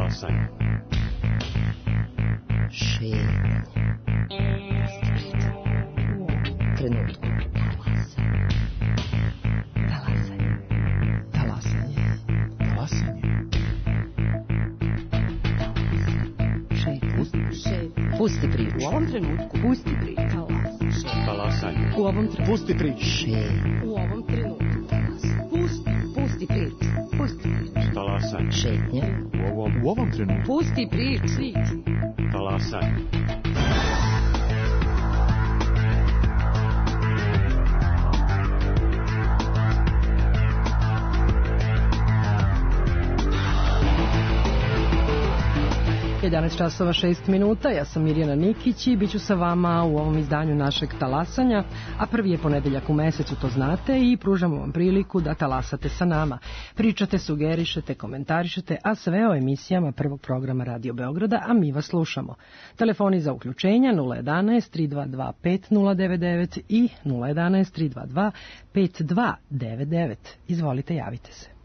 Talasanje. Šetnja. Trenutku. Talasanje. Talasanje. Talasanje. Pusti priču. U ovom trenutku. Pusti priču. Talasanje. U ovom trenutku. Pusti priču. U ovom trenutku. Pusti priču. Pusti priču. Talasanje. Šetnja. U ovom trenutku. Pusti priču. Talasanje. časova 6 minuta, ja sam Mirjana Nikić i bit ću sa vama u ovom izdanju našeg talasanja, a prvi je ponedeljak u mesecu, to znate, i pružamo vam priliku da talasate sa nama. Pričate, sugerišete, komentarišete, a sve o emisijama prvog programa Radio Beograda, a mi vas slušamo. Telefoni za uključenja 011 322 5099 i 011 322 5299. Izvolite, javite se.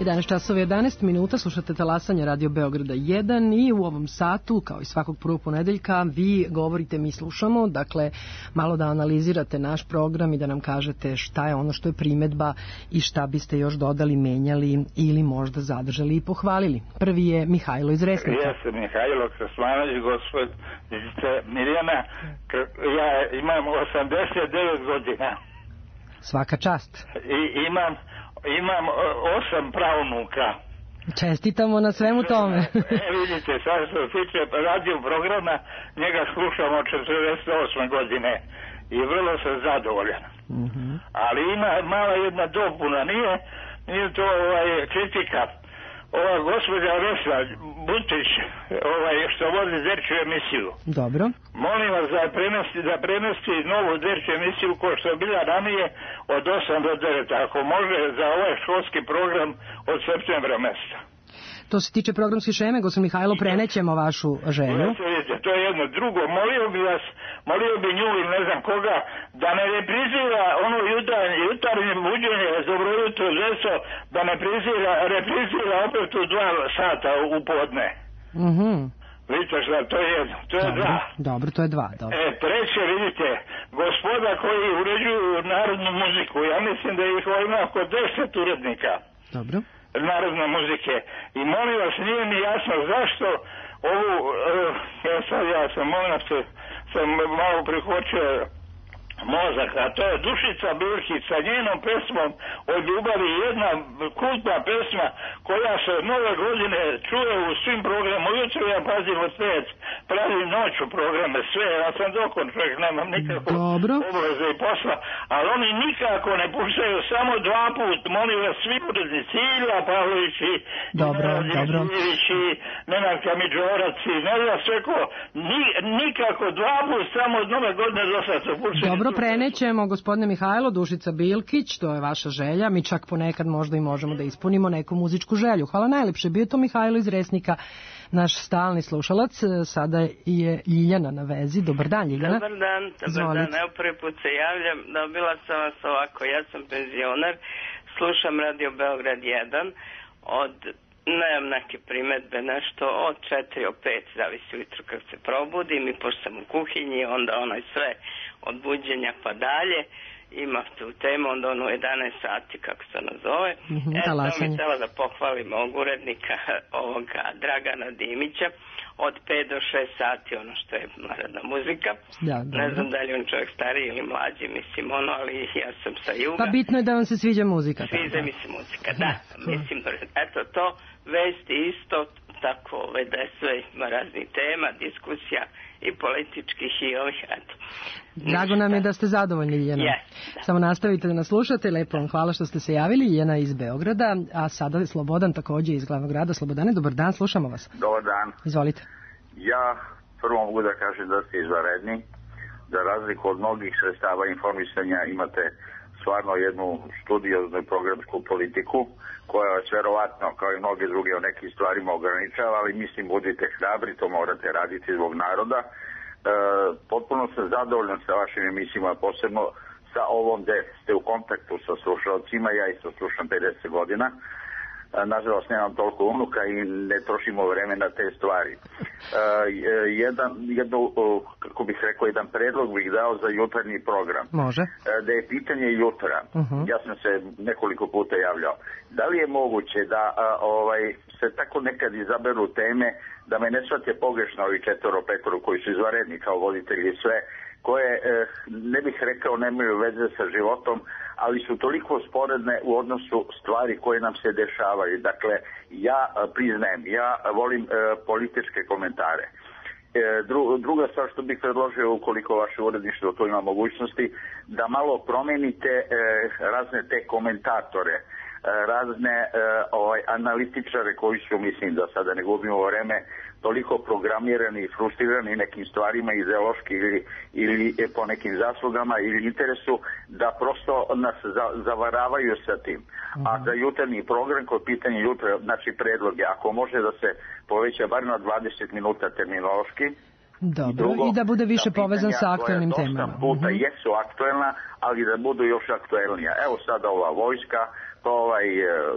11 časova 11 minuta, slušate Talasanje Radio Beograda 1 i u ovom satu, kao i svakog prvog ponedeljka, vi govorite, mi slušamo, dakle, malo da analizirate naš program i da nam kažete šta je ono što je primedba i šta biste još dodali, menjali ili možda zadržali i pohvalili. Prvi je Mihajlo iz Resnika. Ja sam Mihajlo Krasmanović, gospod Mirjana, ja imam 89 godina. Svaka čast. I imam 8 pravnuka. Čestitamo na svemu tome. Vidite, sad što se tiče radio programa, njega slušam od 48 godine i vrlo sam zadovoljan. Ali ima mala jedna dopuna, nije to kritika. Ova gospođa Vesna Butić, što vodi Zerčiju emisiju. Dobro. Molim vas da prenosi novu Zerčiju emisiju ko što je bila ranije od 8 do 9, ako može, za ovaj školski program od septembra mjeseca. To se tiče programske šeme, gospodin Mihajlo, prenećemo vašu želju. To je jedno. Drugo, molio bi nju ili ne znam koga, da ne reprizira ono jutarnje buđenje, dobro jutro, zeso, da ne reprizira opet u 2 sata u podne. Vidite šta, to je jedno, to je 2. Dobro, to je 2, dobro. Treće, vidite, gospoda koji uređuju narodnu muziku, ja mislim da ih ima oko 10 urednika. Dobro. Narodne muzike. I molim vas, nije mi jasno zašto ovu, ja sam malo prihvaćao mozak, a to je Dušica Bilkić sa njenom pesmom o ljubavi, jedna kultna pesma koja se nove godine čuje u svim programima. Ujutro ja pazim od 5, pravim noću programe, sve, ja sam dokon čovjek, nemam nikakvu obaveze i posla, ali oni nikako ne puštaju, samo 2 put, molim vas, svi urednici, Ilja Pavlović i Nenad Kamidžorac i ne znam sve ko, nikako 2 put, samo od nove godine do sad se puštaju. Dobro, prenećemo, gospodine Mihajlo, Dušica Bilkić, to je vaša želja, mi čak ponekad možda i možemo da ispunimo neku muzičku želju. Hvala najlepše, bio to Mihajlo iz Resnika, naš stalni slušalac, sada je Ljiljana na vezi. Dobar dan, Ljiljana. Dobar dan, evo prvi put se javljam, dobila sam vas ovako, ja sam penzioner, slušam Radio Beograd 1, nemam neke primetbe, nešto od 4 o 5, zavisi ujutro kad se probudim i pošto sam u kuhinji, onda sve od buđenja pa dalje, ima tu temu, onda u 11 sati, kako se nazove. Sam mi htjela da pohvalim ovog urednika, Dragana Dimića, od 5 do 6 sati, ono što je narodna muzika. Ne znam da li on čovjek stariji ili mlađi, mislim ali ja sam sa juga. Pa bitno je da vam se sviđa muzika. Sviđa mi se muzika, da. Mislim, eto to, vesti isto, tako da je sve, ima raznih tema, diskusija i političkih i ovih, eto. Drago nam je da ste zadovoljni, Ljiljana. Samo nastavite da nas slušate, lepo vam hvala što ste se javili, Ljiljana iz Beograda, a sada je Slobodan također iz glavnog grada. Slobodane, dobar dan, slušamo vas. Dobar dan. Izvolite. Ja prvo mogu da kažem da ste izvanredni, za razliku od mnogih sredstava informisanja imate stvarno jednu studioznu programsku politiku koja vas verovatno kao i mnoge druge o nekim stvarima ograničava, ali mislim budite hrabri, to morate raditi zbog naroda. Potpuno sam zadovoljan sa vašim emisijama, posebno sa ovom gde ste u kontaktu sa slušalcima, ja isto slušam 50 godina. Nažalost nemam toliko unuka i ne trošimo vreme na te stvari. Kako bih rekao, jedan predlog bih dao za jutarnji program. Može. Da je pitanje jutra. Ja sam se nekoliko puta javljao. Da li je moguće da se tako nekad izaberu teme, da me ne shvate pogrešno ovi 4-5 koji su izvanredni kao voditelji i sve, koje, ne bih rekao, nemaju veze sa životom, ali su toliko sporedne u odnosu stvari koje nam se dešavaju. Dakle, ja priznajem, ja volim političke komentare. Druga stvar što bih predložio, ukoliko vaše uredništvo to ima mogućnosti, da malo promenite razne te komentatore, razne analitičare koji su, mislim da sada ne gubimo vreme, toliko programirani i frustrirani nekim stvarima ideološki ili po nekim zaslugama ili interesu, da prosto nas zavaravaju sa tim. A za jutarnji program, kod pitanja jutra, znači predlog je, ako može da se poveća bar na 20 minuta terminološki. Dobro, i da bude više povezan sa aktualnim temama. Puta jesu aktuelna, ali da budu još aktuelnija. Evo sada ova vojska,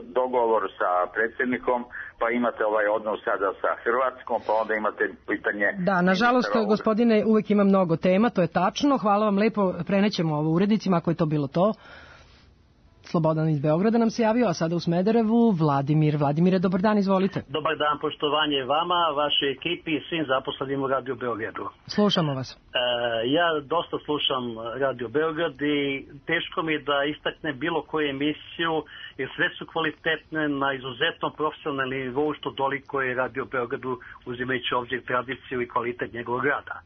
dogovor sa predsjednikom, pa imate ovaj odnos sada sa Hrvatskom, pa onda imate pitanje... Da, nažalost, gospodine, uvijek ima mnogo tema, to je tačno. Hvala vam lepo, prenećemo ovo urednicima, ako je to bilo to. Slobodan iz Beograda nam se javio, a sada u Smederevu Vladimir. Vladimire, dobar dan, izvolite. Dobar dan, poštovanje vama, vašoj ekipi i svim zaposlenim u Radio Beogradu. Slušamo vas. Ja dosta slušam Radio Beograd i teško mi je da istakne bilo koju emisiju, jer sve su kvalitetne na izuzetno profesionalnom nivou, što doliko je Radio Beogradu, uzimajući ovdje tradiciju i kvalitet njegovog rada.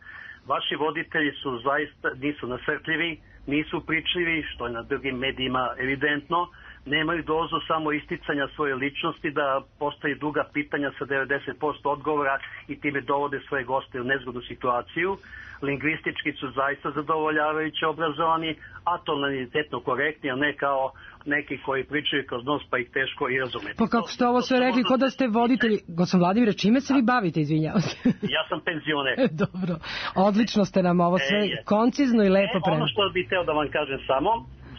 Vaši voditelji su zaista, nisu nasrtljivi, nisu pričljivi, što je na drugim medijima evidentno, nemaju dozu samo isticanja svoje ličnosti, da postoji duga pitanja sa 90% odgovora i time dovode svoje goste u nezgodnu situaciju. Lingvistički su zaista zadovoljavajuće obrazovani, a tonalitetno korektni, a ne kao neki koji pričaju kroz nos pa ih teško i razumeti. Pa kako ste ovo sve rekli, kod da ste voditelji... Gospodin Vladimire, čime se vi bavite, izvinjavam se? Ja sam penzioner. Dobro, odlično ste nam ovo sve koncizno i lepo preneli. Ono što bih teo da vam kažem samo,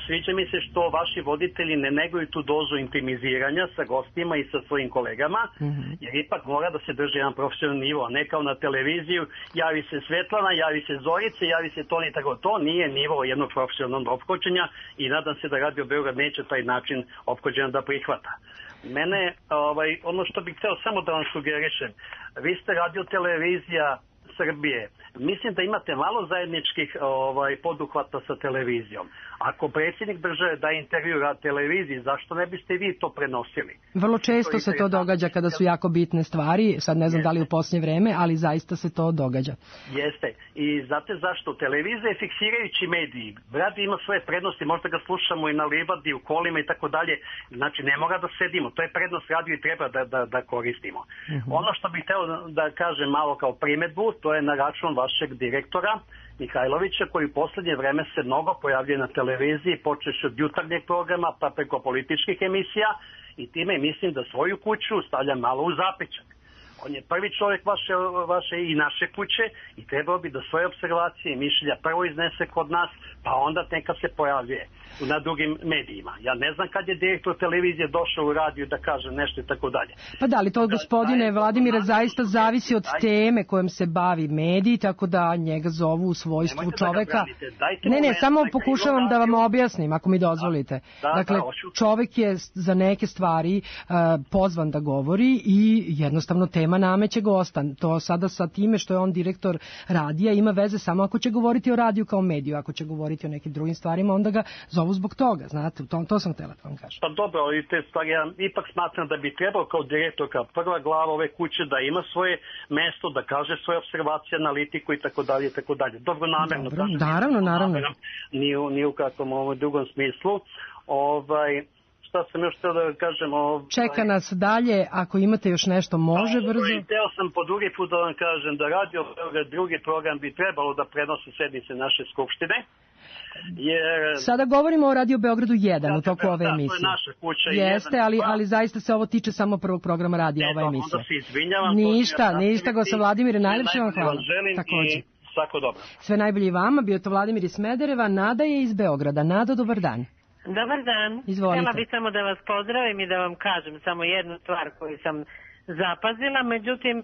sviđa mi se što vaši voditelji ne neguju tu dozu intimiziranja sa gostima i sa svojim kolegama, jer ipak mora da se drži jedan profesionalni nivo, a ne kao na televiziju, javi se Svetlana, javi se Zorice, javi se Toni, tako to nije nivo jednog profesionalnog ophođenja i nadam se da Radio Beograd neće taj način ophođenja da prihvata. Mene, ono što bih hteo samo da vam sugerišem, vi ste Radio televizija Srbije. Mislim da imate malo zajedničkih poduhvata sa televizijom. Ako predsjednik države daje intervju na televiziji, zašto ne biste vi to prenosili? Vrlo često se to događa kada su jako bitne stvari, sad ne znam da li u posljednje vreme, ali zaista se to događa. Jeste. I znate zašto? Televizija je fiksirajući mediji. Radio ima svoje prednosti, možda ga slušamo i na livadi, u kolima i tako dalje. Znači ne mora da sedimo. To je prednost radio i treba da koristimo. Ono što bih hteo da kažem malo kao primedbu, to je na račun vašeg direktora Mihajlovića, koji u posljednje vreme se mnogo pojavljuje na televiziji, počeš od jutarnjeg programa pa preko političkih emisija i time mislim da svoju kuću stavlja malo u zapećak. On je prvi čovjek vaše i naše kuće i trebao bi da svoje observacije i mišljenja prvo iznese kod nas, pa onda neka se pojavljuje na drugim medijima. Ja ne znam kad je direktor televizije došao u radiju da kaže nešto i tako dalje. Pa da li to, gospodine Vladimire, zaista zavisi od teme kojom se bavi medij, tako da njega zovu u svojstvu čoveka. Ne, samo pokušavam da vam objasnim, ako mi dozvolite. Dakle, čovek je za neke stvari pozvan da govori i jednostavno tema nameće gosta. To sada sa time što je on direktor radija ima veze samo ako će govoriti o radiju kao mediju. Ako će govoriti o nekim drugim stvarima, onda ga zovu zbog toga, znate, to sam htjela da vam kažem. Pa dobro, i te stvari ja ipak smatram da bi trebao kao direktor, kao prva glava ove kuće da ima svoje mesto, da kaže svoje observacije, analitiku i tako dalje, i tako dalje. Dobro, namerno. Naravno. Ni u kakvom drugom smislu. Šta sam još htio da kažem? Čeka nas dalje, ako imate još nešto, može brzo. Htio sam po drugi put da vam kažem da Radio Beograd drugi program bi trebalo da prenosi sednice naše skupštine. Sada govorimo o Radio Beogradu 1 u toku ove emisije. To je naša kuća. Jeste, ali zaista se ovo tiče samo prvog programa radija, ova emisija. Onda se izvinjavam. Ništa, gospodine Vladimire, najlepše vam hvala. Također. Svako dobro. Sve najbolje i vama, bio to Vladimir iz Smedereva, Nada je iz Beograda. Nado, dobar dan. Dobar dan. Izvolite. Htjela bih samo da vas pozdravim i da vam kažem samo jednu stvar koju sam zapazila, međutim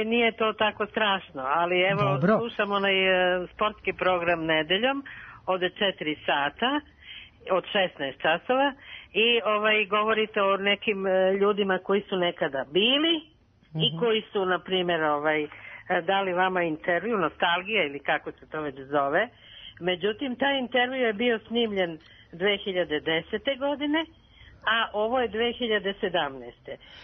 nije to tako strašno, ali evo slušam onaj sportski program nedeljom od 4 sata, od 16 časova i govorite o nekim ljudima koji su nekada bili i koji su, na primjer, dali vama intervju, nostalgija ili kako se to već zove. Međutim, taj intervju je bio snimljen 2010. godine, a ovo je 2017.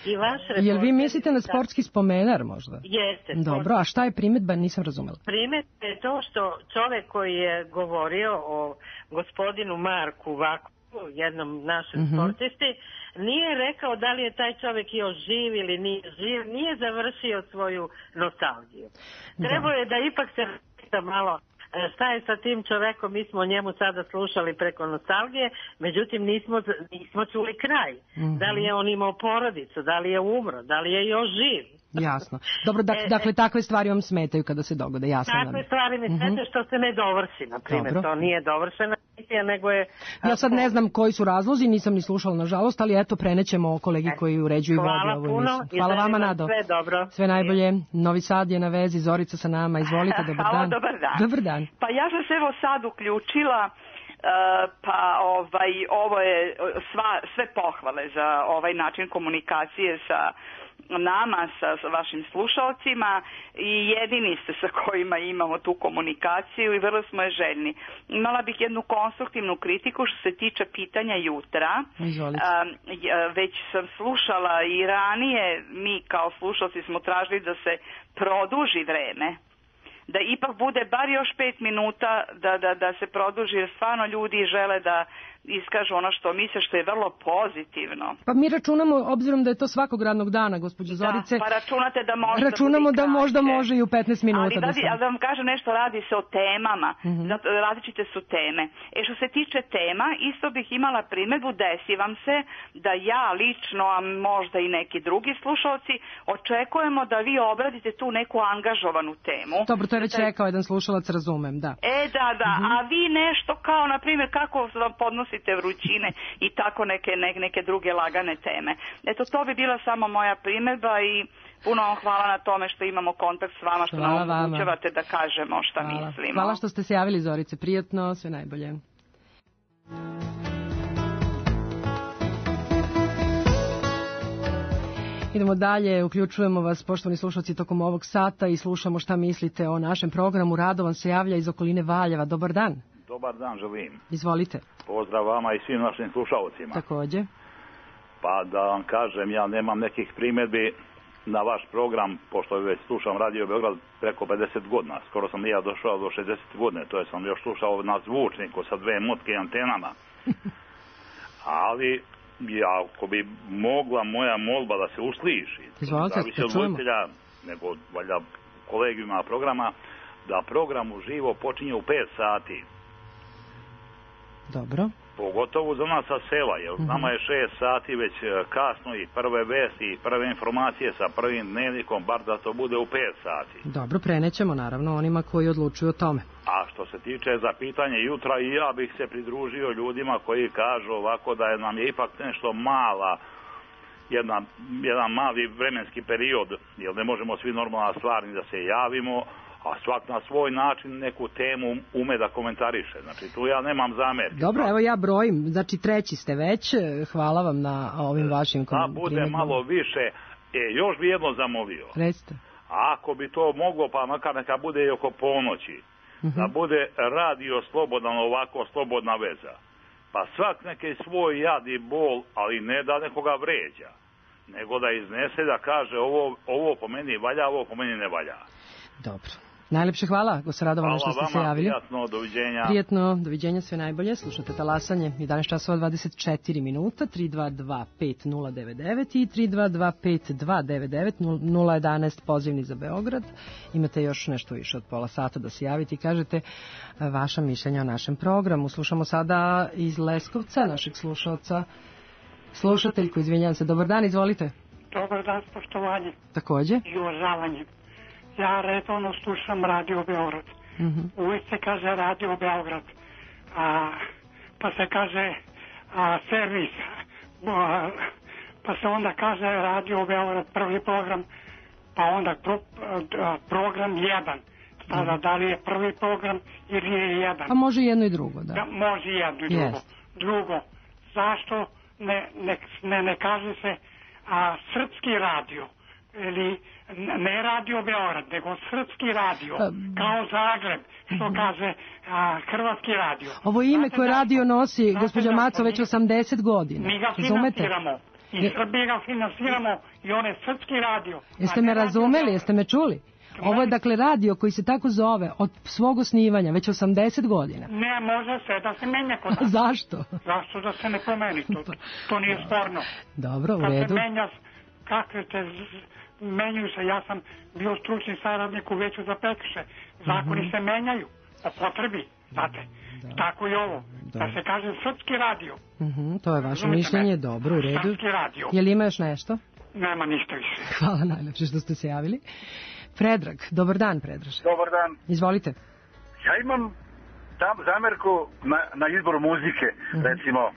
I vaš reporter... Jel vi mislite na sportski spomenar možda? Jeste. Dobro, a šta je primjedba? Nisam razumela. Primjedba je to što čovjek koji je govorio o gospodinu Marku Vaku, jednom našem sportisti, nije rekao da li je taj čovjek još živ ili nije živ, nije završio svoju nostalgiju. Trebao je da ipak se pita malo šta je sa tim čovekom, mi smo o njemu sada slušali preko nostalgije, međutim nismo čuli kraj. Da li je on imao porodicu, da li je umro, da li je još živ. Jasno. Dobro, dakle, takve stvari vam smetaju kada se dogode, jasno. Takve stvari mi smetaju što se ne dovrši, na primjer, to nije dovršena emisija, nego je... Ja sad ne znam koji su razlozi, nisam ni slušala nažalost, ali eto prenećemo kolegi koji uređuju i vodi ovu emisiju. Hvala vama, Nado. Sve dobro. Sve najbolje. Novi Sad je na vezi, Zorica sa nama, izvolite, dobar dan. Dobar dan. Dobar dan. Pa ja sam se evo sad uključila, pa ovo je sve pohvale za ovaj način komunikacije sa nama, sa vašim slušalcima i jedini ste sa kojima imamo tu komunikaciju i vrlo smo je željni. Imala bih jednu konstruktivnu kritiku što se tiče pitanja jutra. Već sam slušala i ranije, mi kao slušalci smo tražili da se produži vreme, da ipak bude bar još 5 minuta da se produži, jer stvarno ljudi žele da iskažu ono što misle, što je vrlo pozitivno. Pa mi računamo, obzirom da je to svakog radnog dana, gospođo Zorice, pa računate da možda računamo da možda može i u 15 minuta. Ali da vam kažem nešto, radi se o temama, različite su teme. Što se tiče tema, isto bih imala primjedbu, desi vam se da ja lično, a možda i neki drugi slušalci, očekujemo da vi obradite tu neku angažovanu temu. Dobro, to je već rekao jedan slušalac, razumem, da. Da, a vi nešto kao, na primjer, kako vam podnosite vrućine i tako neke druge lagane teme. Eto, to bi bila samo moja primjedba i puno vam hvala na tome što imamo kontakt s vama, što nam omogućavate da kažemo šta mislimo. Hvala što ste se javili, Zorice, prijatno, sve najbolje. Idemo dalje, uključujemo vas, poštovani slušalci, tokom ovog sata i slušamo šta mislite o našem programu. Radovan se javlja iz okoline Valjeva. Dobar dan. Dobar dan, želim. Izvolite. Pozdrav vama i svim našim slušalcima. Također. Pa da vam kažem, ja nemam nekih primjedbi na vaš program, pošto već slušam Radio Beograd preko 50 godina. Skoro sam i ja došao do 60 godine, to je sam još slušao na zvučniku sa 2 motke antenama. Ali, ako bi mogla moja molba da se usliši, zavisi od voditelja, nego valjda kolegijuma programa, da program uživo počinje u 5 sati. Dobro. Pogotovo za nas sa sela, jer nama je 6 sati već kasno i prve vesti i prve informacije sa prvim dnevnikom, bar da to bude u 5 sati. Dobro, prenećemo naravno onima koji odlučuju o tome. A što se tiče za pitanje jutra, i ja bih se pridružio ljudima koji kažu ovako da nam je ipak nešto jedan mali vremenski period, jer ne možemo svi normalna stvarni da se javimo, a svak na svoj način neku temu ume da komentariše. Znači, tu ja nemam zamerke. Dobro, evo ja brojim. Znači, 3. ste već. Hvala vam na ovim vašim komentarima. Da bude malo više. Još bi jedno zamolio. Recite. Ako bi to moglo, pa makar neka bude i oko ponoći, da bude radio slobodan, ovako slobodna veza. Pa svak neki svoj jad i bol, ali ne da nekoga vređa, nego da iznese, da kaže ovo po meni valja, ovo po meni ne valja. Dobro. Najlepše hvala, gospodin Radovan, što ste se javili. Hvala vama, prijatno, doviđenja. Prijatno, doviđenja, sve najbolje. Slušate Talasanje, 11 časova 24 minuta, 3225099 i 3225299, 011 pozivni za Beograd. Imate još nešto više od pola sata da se javite i kažete vaša mišljenja o našem programu. Slušamo sada iz Leskovca, našeg slušalca, slušateljku, izvinjavam se. Dobar dan, izvolite. Dobar dan, poštovanje. Također. I uvažavanje. Ja redovno slušam Radio Beograd. Uvijek se kaže Radio Beograd. Pa se kaže servis. Pa se onda kaže Radio Beograd, prvi program. Pa onda program 1. Sada da li je prvi program ili je 1. Pa može jedno i drugo, da. Može jedno i drugo. Drugo, zašto ne kaže se srpski radio? Ili ne Radio Beograd, nego srpski radio, kao Zagreb, što kaže hrvatski radio. Ovo ime koje radio nosi gospođa Maco već 80 godina. Mi ga finansiramo i Srbije ga finansiramo i on je srpski radio. Jeste me razumeli, jeste me čuli? Ovo je dakle radio koji se tako zove od svog osnivanja već 80 godina. Ne, može se da se menja kod nas. Zašto? Zašto da se ne pomeni, to nije sporno. Dobro, u redu. Kad se menja, kakve te menjaju se, ja sam bio stručni saradnik u veću za prekršaje. Zakoni se menjaju po potrebi, znate. Tako i ovo. Da se kaže srpski radio. To je vaše mišljenje, dobro, u redu. Srpski radio. Je li ima još nešto? Nema ništa više. Hvala najlepše što ste se javili. Predrag, dobar dan, Predraže. Dobar dan. Izvolite. Ja imam zamerku na izboru muzike, recimo,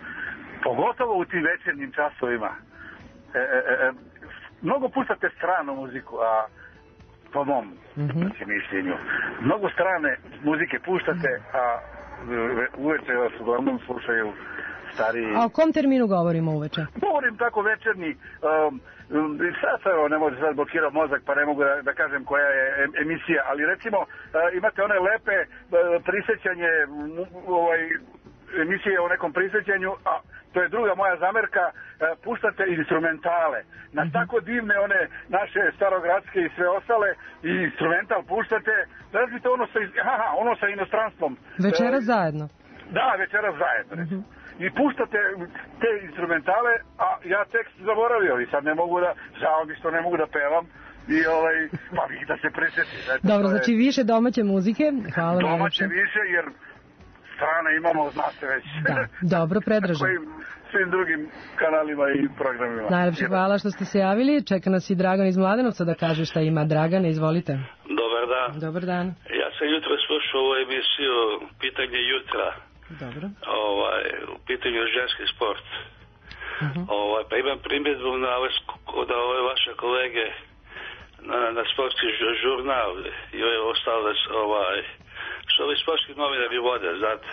pogotovo u tim večernjim časovima. Mnogo puštate stranu muziku, a po mom mišljenju. Mnogo strane muzike puštate, a uveče vas uglavnom slušaju stariji... A o kom terminu govorimo uveče? Govorim tako večernji. Sad ne može sad blokirao mozak, pa ne mogu da kažem koja je emisija, ali recimo imate one lepe prisjećanje, emisije o nekom prisjećanju, a to je druga moja zamerka, puštate instrumentale. Na tako divne one naše starogradske i sve ostale, i instrumental puštate, razlite ono sa inostranstvom. Večeras zajedno. Da, večeras zajedno. I puštate te instrumentale, a ja tekst zaboravio i sad ne mogu da, žao mi što ne mogu da pevam, i pa vi da se presjeti. Dobro, znači više domaće muzike, hvala vam. Domaće više, jer strane imamo, znate već. Da, dobro, Predražen. Svim drugim kanalima i programima. Najlepše hvala što ste se javili. Čeka nas i Dragan iz Mladenovca da kaže šta ima. Dragane, izvolite. Dobar dan. Dobar dan. Ja sam jutro slušao ovu emisiju Pitanje jutra. Dobro. U pitanju ženski sport. Pa imam primjedbu na ove vaše kolege na sportski žurnal i ove ostale što ovi sportski novinari vode, znate.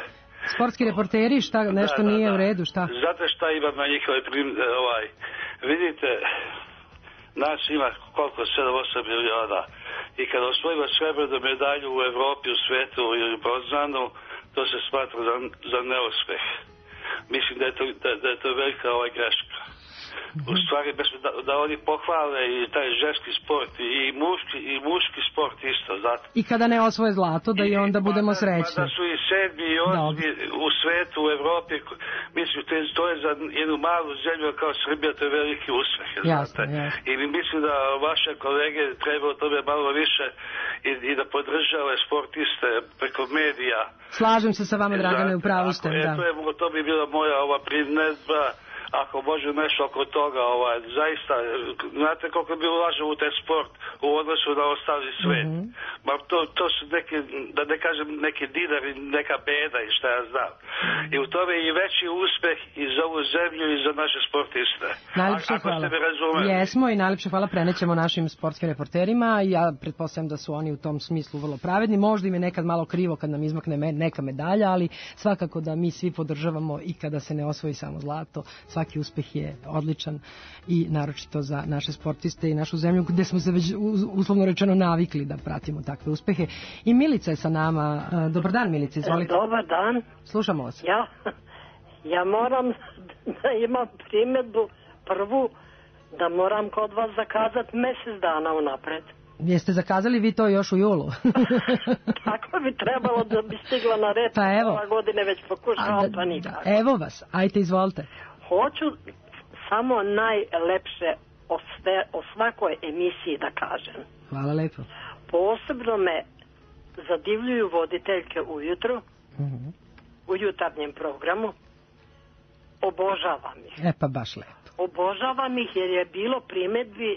Sportski reporteri, šta, nešto nije u redu, šta? Znate šta imam na njihove vidite, nas ima koliko, 7-8 miliona, i kada osvojimo srebrnu medalju u Evropi, u svetu ili bronzanu, to se smatra za neuspeh. Mislim da je to velika greška. U stvari, da oni pohvale i taj ženski sport i muški sport isto, znate. I kada ne osvoje zlato, da i onda budemo srećni. Da su i 7. i 8. u svetu, u Evropi, mislim, to je za jednu malu zemlju kao Srbija, to je veliki uspeh, znate. I mislim da vaše kolege treba o tome malo više i da podržave sportiste preko medija. Slažem se sa vama, Dragane, u pravu ste. To bi bila moja primjedba. Ako može nešto oko toga, zaista, znate koliko bi ulažemo u taj sport u odnosu na ostali svet. To su neki, da ne kažem, neki dinari, neka beda i šta ja znam. I u tome je i veći uspeh i za ovu zemlju i za naše sportiste. Najlepše hvala. Jesmo i najlepše hvala prenećemo našim sportskim reporterima. Ja pretpostavljam da su oni u tom smislu vrlo pravedni. Možda im je nekad malo krivo kad nam izmakne neka medalja, ali svakako da mi svi podržavamo i kada se ne osvoji samo zlato. Svaki uspeh je odličan i naročito za naše sportiste i našu zemlju gde smo se već uslovno rečeno navikli da pratimo takve uspehe. I Milica je sa nama. Dobar dan, Milica, izvolite. Dobar dan. Slušamo vas. Ja moram da imam primjedbu prvu da moram kod vas zakazati mjesec dana unapred. Jeste zakazali vi to još u julu? Tako bi trebalo da bi stigla na red. Pa evo. Ova godine već pokušavam, pa nikako. Evo vas, ajte izvolite. Hoću samo najlepše o svakoj emisiji da kažem. Hvala lepo. Posebno me zadivljuju voditeljke ujutru, u jutarnjem programu. Obožavam ih. Pa baš lepo. Obožavam ih jer je bilo primjedbi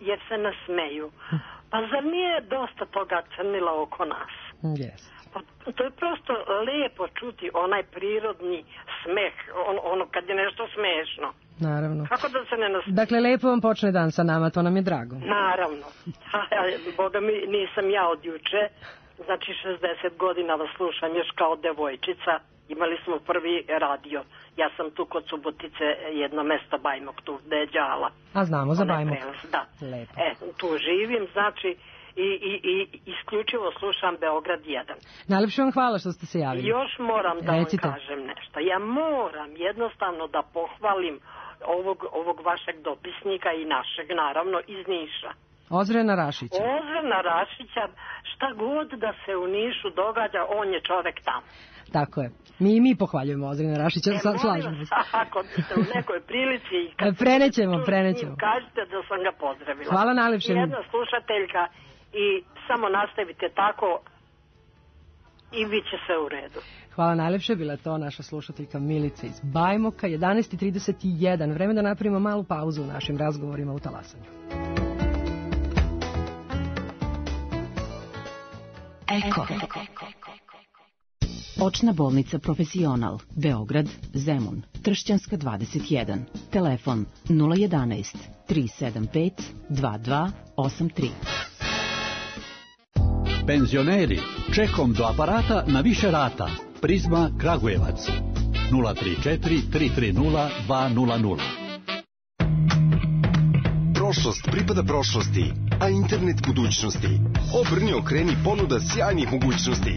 jer se nasmeju. Pa zar nije dosta toga crnila oko nas? Yes. To je prosto lijepo čuti onaj prirodni smeh, ono kad je nešto smešno. Naravno. Kako da se ne nasmeje? Dakle, lepo vam počne dan sa nama, to nam je drago. Naravno. Boga mi, nisam ja od juče, znači 60 godina vas slušam još kao devojčica. Imali smo prvi radio. Ja sam tu kod Subotice, jedno mesto Bajmok, tu gde je Đala. A znamo za Bajmok. Da. Lepo. Tu živim, znači, i isključivo slušam Beograd 1. Najlepše vam hvala što ste se javili. Još moram da vam kažem nešto. Ja moram jednostavno da pohvalim ovog vašeg dopisnika i našeg, naravno, iz Niša. Ozrena Rašića. Ozrena Rašića, šta god da se u Nišu događa, on je čovek tamo. Tako je. Mi pohvaljujemo Ozrena Rašića, slažemo se. Ako ste u nekoj prilici i kad prenećemo. Kažete da sam ga pozdravila. Hvala najlepše. Jedna slušateljka i samo nastavite tako i bit će sve u redu. Hvala najlepše, bila to naša slušateljka Milica iz Bajmoka. 11:31, vreme da napravimo malu pauzu u našim razgovorima u Talasanju. Očna bolnica Profesional, Beograd, Zemun, Tršćanska 21. Telefon 011 375 2283. Penzioneri, čekom do aparata na više rata. Prizma Kragujevac 034 330 200. Prošlost pripada prošlosti, a internet budućnosti. Obrni, okreni, ponuda sjajnih mogućnosti.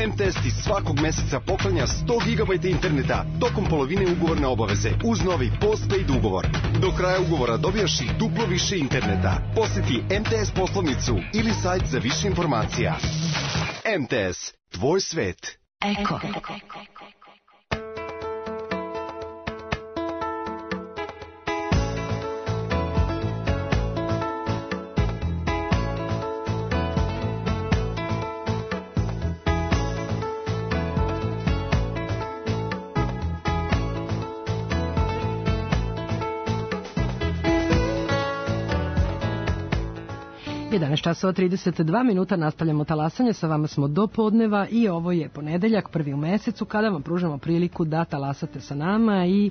MTS ti svakog meseca poklanja 100 GB interneta tokom polovine ugovorne obaveze uz novi postpaid ugovor. Do kraja ugovora dobijaš i duplo više interneta. Posjeti MTS poslovnicu ili sajt za više informacija. MTS, tvoj svet. Eko. 11 časova 32 minuta, nastavljamo talasanje, sa vama smo do podneva i ovo je ponedeljak, prvi u mesecu, kada vam pružamo priliku da talasate sa nama i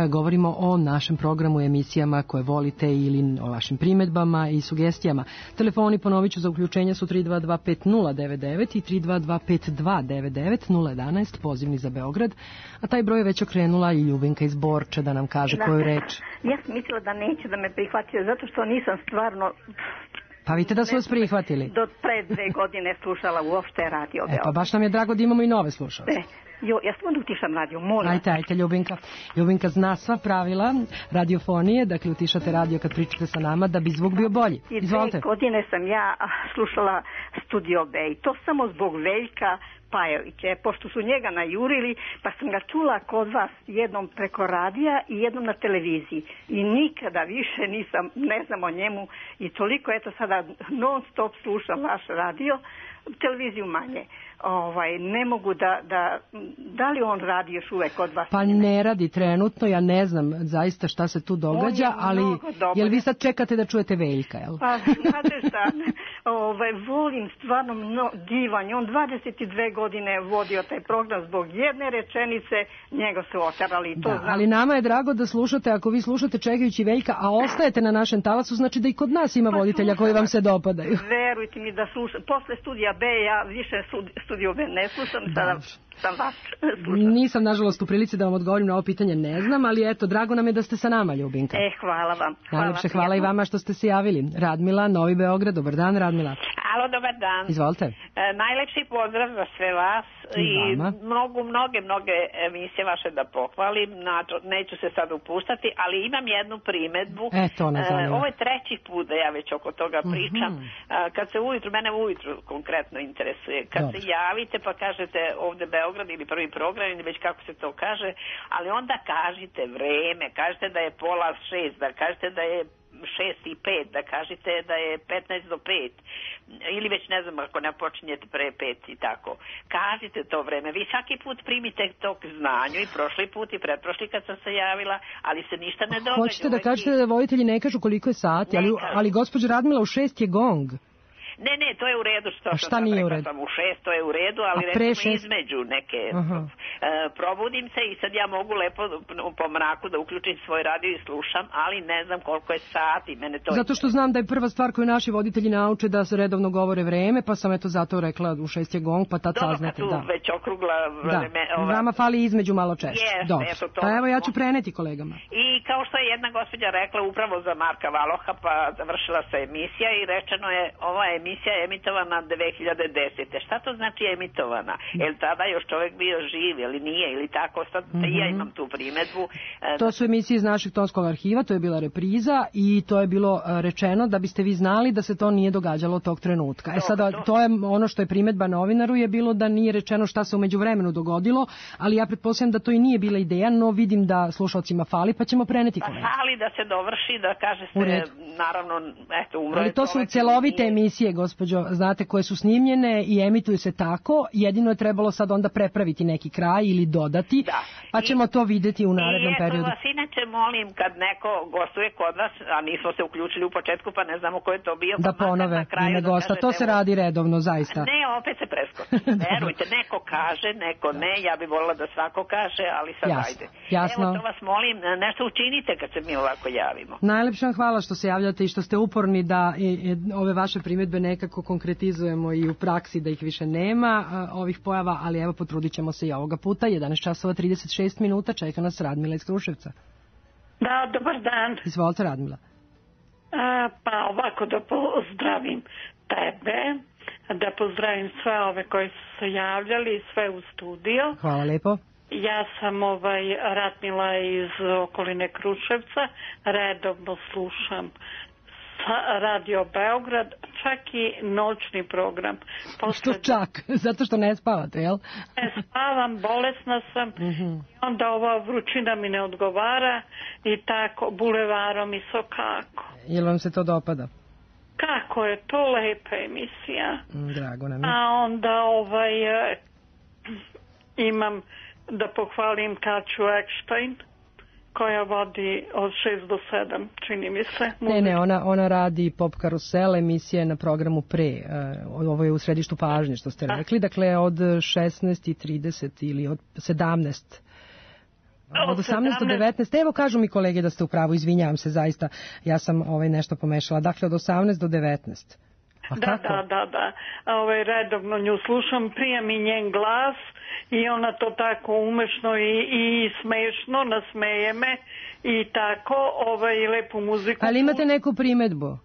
govorimo o našem programu, emisijama koje volite ili o vašim primedbama i sugestijama. Telefoni, ponovit ću, za uključenja su 3225099 i 3225299 011, pozivni za Beograd, a taj broj je već okrenula i Ljubinka iz Borče da nam kaže koju reč. Ja sam mislila da neće da me prihvatio, zato što nisam stvarno... Pa vidite da su vas prihvatili. Do pre 2 godine slušala uopšte radio Beograd. Pa baš nam je drago da imamo i nove slušalce. Ja samo da utišam radio, molim. Ajte, Ljubinka. Ljubinka zna sva pravila radiofonije, dakle utišate radio kad pričate sa nama da bi zvuk bio bolji. Izvolite. I 2 godine sam ja slušala Studio B i to samo zbog Veljka Pajovića, pošto su njega najurili, pa sam ga čula kod vas jednom preko radija i jednom na televiziji. I nikada više ne znam o njemu i toliko, eto sada non stop slušam vaš radio, televiziju manje. Ne mogu da li on radi još uvek kod vas? Pa ne radi trenutno, ja ne znam zaista šta se tu događa, ali jel vi sad čekate da čujete Veljka, jel? Pa znate šta, volim stvarno divan, on 22 godine vodio taj program zbog jedne rečenice, njega su oterali. Ali nama je drago da slušate, ako vi slušate čekajući Veljka, a ostajete na našem talasu, znači da i kod nas ima voditelja koji vam se dopadaju. Verujte mi da slušam, posle Studija B ja više Studio B ne slušam, sada sam vas slušam. Nisam, nažalost, u prilici da vam odgovorim na ovo pitanje, ne znam, ali eto, drago nam je da ste sa nama, Ljubinka. Hvala vam. Najlepše hvala i vama što ste se javili. Radmila, Novi Beograd, dobar dan, Radmila. Alo, dobar dan. Izvolite. Najlepši pozdrav za sve vas i mnoge emisije vaše da pohvalim, neću se sad upuštati, ali imam jednu primedbu. Ovo je 3. put da ja već oko toga pričam. Kad se mene ujutru konkretno interesuje, kad se javite pa kažete ovde Beograd ili prvi program ili već kako se to kaže, ali onda kažite vreme, kažete da je 5:30, da kažete da je 6:05, da kažete da je 15 do 5 ili već ne znam ako ne počinjete pre 5 i tako. Kažite to vreme. Vi svaki put primite to k znanju i prošli put i pretprošli kad sam se javila, ali se ništa ne događa. Hoćete da kažete da voditelji ne kažu koliko je sati, ali gospođa Radmila, u 6 je gong. Ne, to je u redu što sam rekla sam u 6, to je u redu, ali recimo između neke probudim se i sad ja mogu lepo po mraku da uključim svoj radio i slušam, ali ne znam koliko je sati. Zato što znam da je prva stvar koju naši voditelji nauče da se redovno govore vreme, pa sam eto zato rekla u 6 je gong, pa tad saznate. Dobro, kad tu već okrugla vreme. Vama fali između malo češće. Pa evo ja ću preneti kolegama. I kao što je jedna gospođa rekla upravo za Marka Valoha, pa završila se emisija i rečeno je ova emisija je emitovana 2010. Šta to znači emitovana? Jel tada još čovjek bio živ ili nije ili tako? Sad ja imam tu primedbu. To su emisije iz našeg tonskog arhiva, to je bila repriza i to je bilo rečeno da biste vi znali da se to nije događalo tog trenutka. Sada to je ono što je primedba novinaru je bilo da nije rečeno šta se u međuvremenu dogodilo, ali ja pretpostavljam da to i nije bila ideja, no vidim da slušalcima fali, pa ćemo preneti kolege. Fali da se dovrši, da kaže se naravno, eto, umro je. Ali to su celovite emisije, gospođo, znate, koje su snimljene i emituju se tako, jedino je trebalo sad onda prepraviti neki kraj ili dodati, pa ćemo to vidjeti u narednom periodu. I vas inače molim, kad neko gostuje kod vas, a nismo se uključili u početku, pa ne znamo ko je to bio, da ponove ime gosta, to se radi redovno, zaista. Ne opet se preskoči. Verujte, neko kaže, neko ne, ja bih volila da svako kaže, ali sad ajde. Jasno. Evo, to vas molim, nešto učinite kad se mi ovako javimo. Najlepše vam hvala što se javljate i što ste uporni da ove vaše primjedbe nekako konkretizujemo i u praksi, da ih više nema, ovih pojava, ali evo potrudit ćemo se i ovoga puta. 11 časova 36 minuta, čeka nas Radmila iz Kruševca. Da, dobar dan. Izvolite, Radmila. Pa ovako da pozdravim tebe, da pozdravim sve ove koji su se javljali, sve u studio. Hvala lepo. Ja sam Radmila iz okoline Kruševca, redovno slušam Radio Beograd, čak i noćni program. Što čak? Zato što ne spavate, jel? Ne spavam, bolesna sam, onda ova vrućina mi ne odgovara i tako bulevarom i sokako. Jel vam se to dopada? Kako je to lepa emisija. Drago nam je. A onda imam da pohvalim Kaću Ekštajn, koja vodi od 6 do 7, čini mi se. Ne, ona radi Pop Karusel, emisija na programu pre, ovo je u središtu pažnje što ste rekli, dakle od 16:30 ili od 17. Od 18 do 19, evo kažu mi kolege da ste u pravu, izvinjavam se zaista, ja sam nešto pomešala, dakle od 18 do 19. Da. Redovno nju slušam, prija mi njen glas i ona to tako umešno i smešno nasmeje me i tako lepu muziku. Ali imate neku primedbu?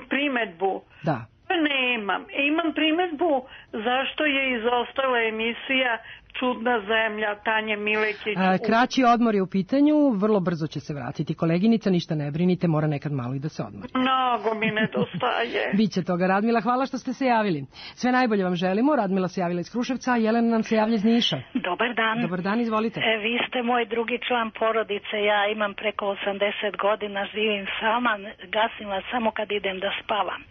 Primedbu? Da. Nemam. Imam primedbu zašto je izostala emisija Čudna zemlja Tanje Milekić. Kraći odmor je u pitanju, vrlo brzo će se vratiti koleginica, ništa ne brinite, mora nekad malo i da se odmori. Mnogo mi nedostaje. Biće toga, Radmila, hvala što ste se javili. Sve najbolje vam želimo, Radmila se javila iz Kruševca, a Jelena nam se javlja iz Niša. Dobar dan. Dobar dan, izvolite. Vi ste moj drugi član porodice, ja imam preko 80 godina, živim sama, gasim vas samo kad idem da spavam.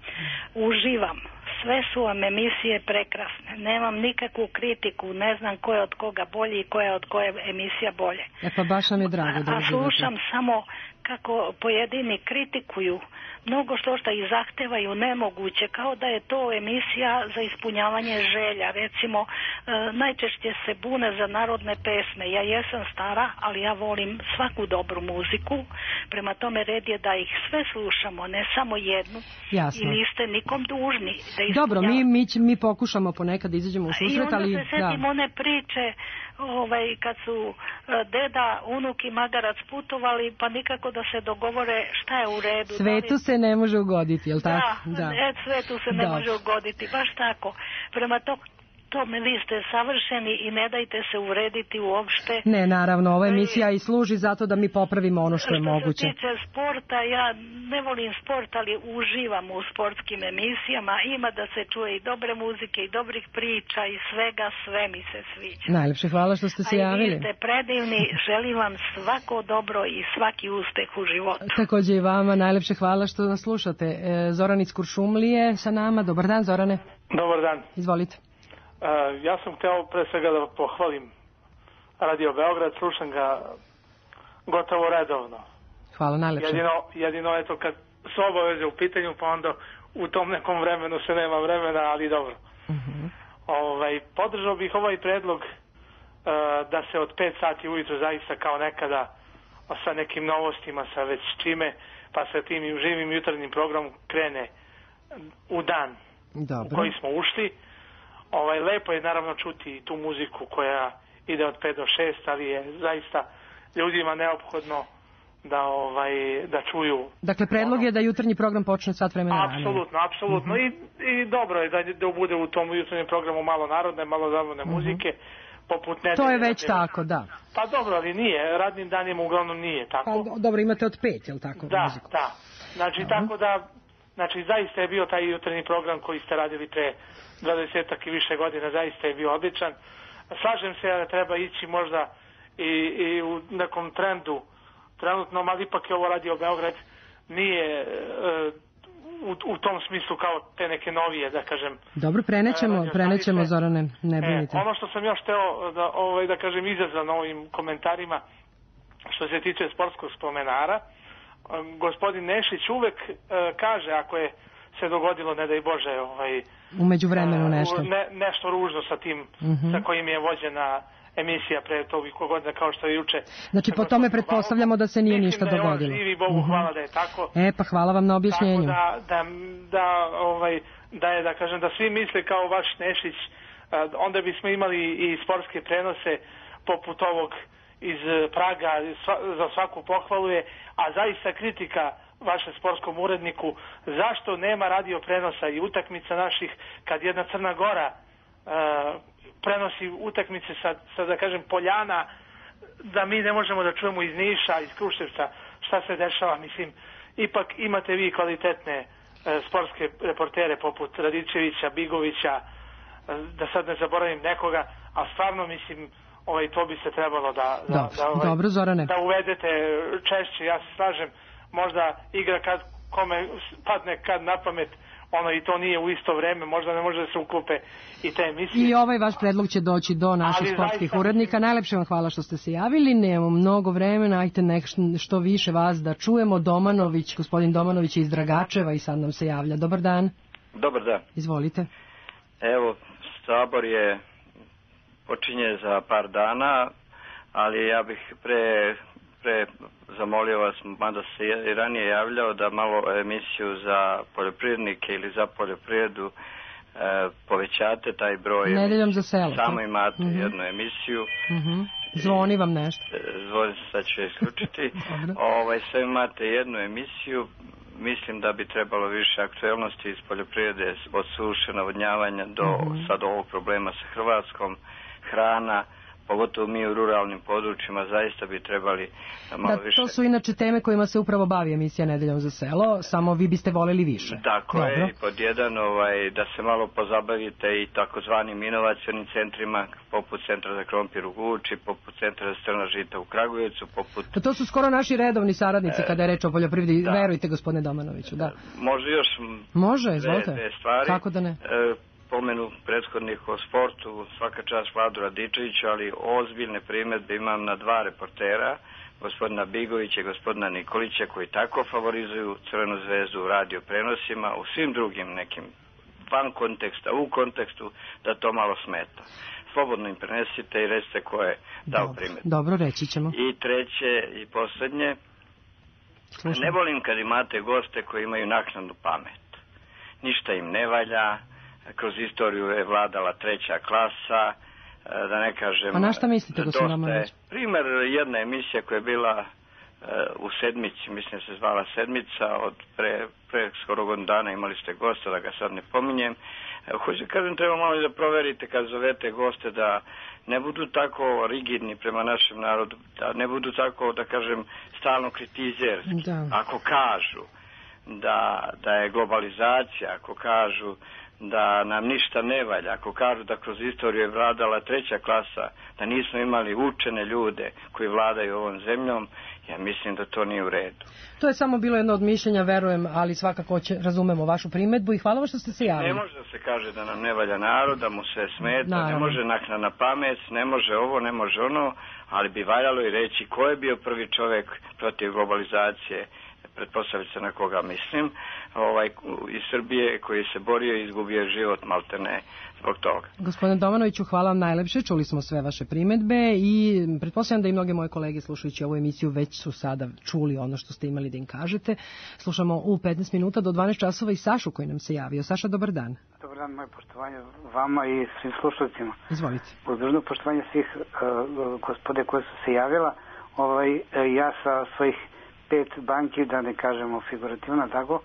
Uživam. Sve su vam emisije prekrasne. Nemam nikakvu kritiku, ne znam ko je od koga bolji i ko je od koje emisija bolje. Pa baš nam je drago da uživate. A slušam samo kako pojedini kritikuju mnogo što i zahtevaju nemoguće, kao da je to emisija za ispunjavanje želja. Recimo, najčešće se bune za narodne pesme. Ja jesam stara, ali ja volim svaku dobru muziku. Prema tome red je da ih sve slušamo, ne samo jednu. Jasno. I niste nikom dužni da ispunjavate. Dobro, mi pokušamo ponekad da izađemo u susret, ali... I onda se setim one priče kad su deda, unuk i magarac putovali, pa nikako da se dogovore šta je u redu. Svetu se ne može ugoditi, jel tako? Da, svetu se ne može ugoditi, baš tako. Prema tome vi ste savršeni i ne dajte se uvrediti uopšte. Ne, naravno, ova emisija i služi zato da mi popravimo ono što je moguće. Što se tiče sporta, ja ne volim sport, ali uživam u sportskim emisijama. Ima da se čuje i dobre muzike i dobrih priča i svega, sve mi se sviđa. Najlepše hvala što ste se javili. A vi ste predivni, želim vam svako dobro i svaki uspeh u životu. Također i vama, najlepše hvala što nas slušate. Zoran iz Kuršumlije sa nama, dobar dan Zorane. Dobar dan. Izvolite. Ja sam htio pre svega da pohvalim Radio Beograd, slušam ga gotovo redovno. Hvala, najlepše. Jedino eto kad su obaveze u pitanju, pa onda u tom nekom vremenu se nema vremena, ali dobro. Podržao bih ovaj predlog da se od 5 sati ujutro zaista kao nekada sa nekim novostima, sa već čime, pa sa tim živim jutarnjim programom krene u dan u koji smo ušli. Lepo je naravno čuti tu muziku koja ide od 5 do 6, ali je zaista ljudima neophodno da čuju. Dakle, predlog je da jutarnji program počne sat vremena ranije. Apsolutno. I dobro je da bude u tom jutarnjem programu malo narodne, malo zabavne muzike. Poput nedelje. To je već tako, da. Pa dobro, ali nije. Radnim danima uglavnom nije tako. Pa, dobro, imate od 5, je li tako? Da. Znači, tako da, zaista je bio taj jutarnji program koji ste radili pre 20 i više godina, zaista je bio odličan. Slažem se da treba ići možda i u nekom trendu trenutno, ali ipak je ovo Radio Beograd nije u tom smislu kao te neke novije, da kažem. Dobro, prenećemo Zorane, ne brinite. Ono što sam još hteo da kažem izazvan ovim komentarima što se tiče sportskog spomenara, gospodin Nešić uvek kaže ako je se dogodilo, ne daj Bože, u međuvremenu nešto. Nešto ružno sa tim, sa kojim je vođena emisija pre toliko godina kao što je juče. Znači po tome pretpostavljamo da se nije ništa dogodilo. Mislim da je on živi, Bogu hvala da je tako. Pa hvala vam na objašnjenju. Tako da svi misle kao vaš Nešić, onda bismo imali i sportske prenose poput ovog iz Praga, za svaku pohvalu je, a zaista kritika vašem sportskom uredniku, zašto nema radio prenosa i utakmica naših, kad jedna Crna Gora prenosi utakmice sa da kažem Poljana, da mi ne možemo da čujemo iz Niša, iz Kruševca šta se dešava. Mislim, ipak imate vi kvalitetne sportske reportere poput Radičevića, Bigovića, da sad ne zaboravim nekoga, a stvarno mislim to bi se trebalo da uvedete češće. Ja se slažem, možda igra kad kome padne kad na pamet, i to nije u isto vreme, možda ne može da se uklope i te emisije. I ovaj vaš predlog će doći do naših sportskih urednika. Najlepše vam hvala što ste se javili, nemamo mnogo vremena, ajte što više vas da čujemo. Gospodin Domanović je iz Dragačeva i sad nam se javlja. Dobar dan. Dobar dan. Izvolite. Evo, Sabor počinje za par dana, ali ja bih pre zamolio vas, mada se i ranije javljao, da malo emisiju za poljoprivrednike ili za poljoprivredu povećate taj broj. Nedeljom za selo. Samo imate jednu emisiju. Zvoni vam nešto. Zvoni, sad ću je isključiti. Sve imate jednu emisiju. Mislim da bi trebalo više aktuelnosti iz poljoprivrede, od suše, navodnjavanja do sad ovog problema sa Hrvatskom, hrana, pogotovo mi u ruralnim područjima, zaista bi trebali malo više. To su inače teme kojima se upravo bavi emisija Nedeljom za selo, samo vi biste voljeli više. Tako je, i pod jedan da se malo pozabavite i takozvanim inovacionim centrima, poput Centra za krompir u Guči, poput Centra za strna žita u Kragujevcu, To su skoro naši redovni saradnici kada je reč o poljoprivredi, verujte gospodine Domanoviću, da. Može još dve stvari. Kako da ne? Pomenu prethodnih o sportu, svaka čast Vladu Radičeviću, ali ozbiljne primjedbe imam na dva reportera, gospodina Bigovića i gospodina Nikolića, koji tako favorizuju Crvenu zvezdu u radio prenosima, u svim drugim nekim van konteksta, u kontekstu, da to malo smeta. Slobodno im prenesite i recite ko je dao primjedbe. Dobro, reći ćemo. I treće i posljednje, ne volim kad imate goste koji imaju naknadnu pamet. Ništa im ne valja, kroz istoriju je vladala treća klasa, da ne kažem... A na šta mislite, gospodin Domanović? Primer, jedna emisija koja je bila u Sedmici, mislim se zvala Sedmica, od pre skoro godinu dana imali ste gosta, da ga sad ne pominjem. Hoću kažem, treba malo da proverite kad zovete goste da ne budu tako rigidni prema našem narodu, da ne budu tako, da kažem, stalno kritizerski. Ako kažu da je globalizacija, ako kažu da nam ništa ne valja, ako kažu da kroz istoriju je vladala treća klasa, da nismo imali učene ljude koji vladaju ovom zemljom, ja mislim da to nije u redu. To je samo bilo jedno od mišljenja, verujem, ali svakako razumemo vašu primedbu i hvala vam što ste se javili. Ne može da se kaže da nam ne valja narod, da mu se smeta, ne može naknadna pamet, ne može ovo, ne može ono, ali bi valjalo i reći ko je bio prvi čovjek protiv globalizacije, pretpostaviti se na koga mislim, iz Srbije koji se borio i izgubio život maltene zbog toga. Gospodine Domanoviću, hvala vam najlepše, čuli smo sve vaše primedbe i pretpostavljam da i mnoge moje kolege slušajući ovu emisiju već su sada čuli ono što ste imali da im kažete. Slušamo u 15 minuta do 12 časova i Sašu koji nam se javio. Saša, dobar dan. Dobar dan, moje poštovanje vama i svim slušalcima. Izvolite. Uz dužno poštovanje svih gospode koje su se javila, ja sa svojih 5 banki, da ne kažemo figurativno, tako,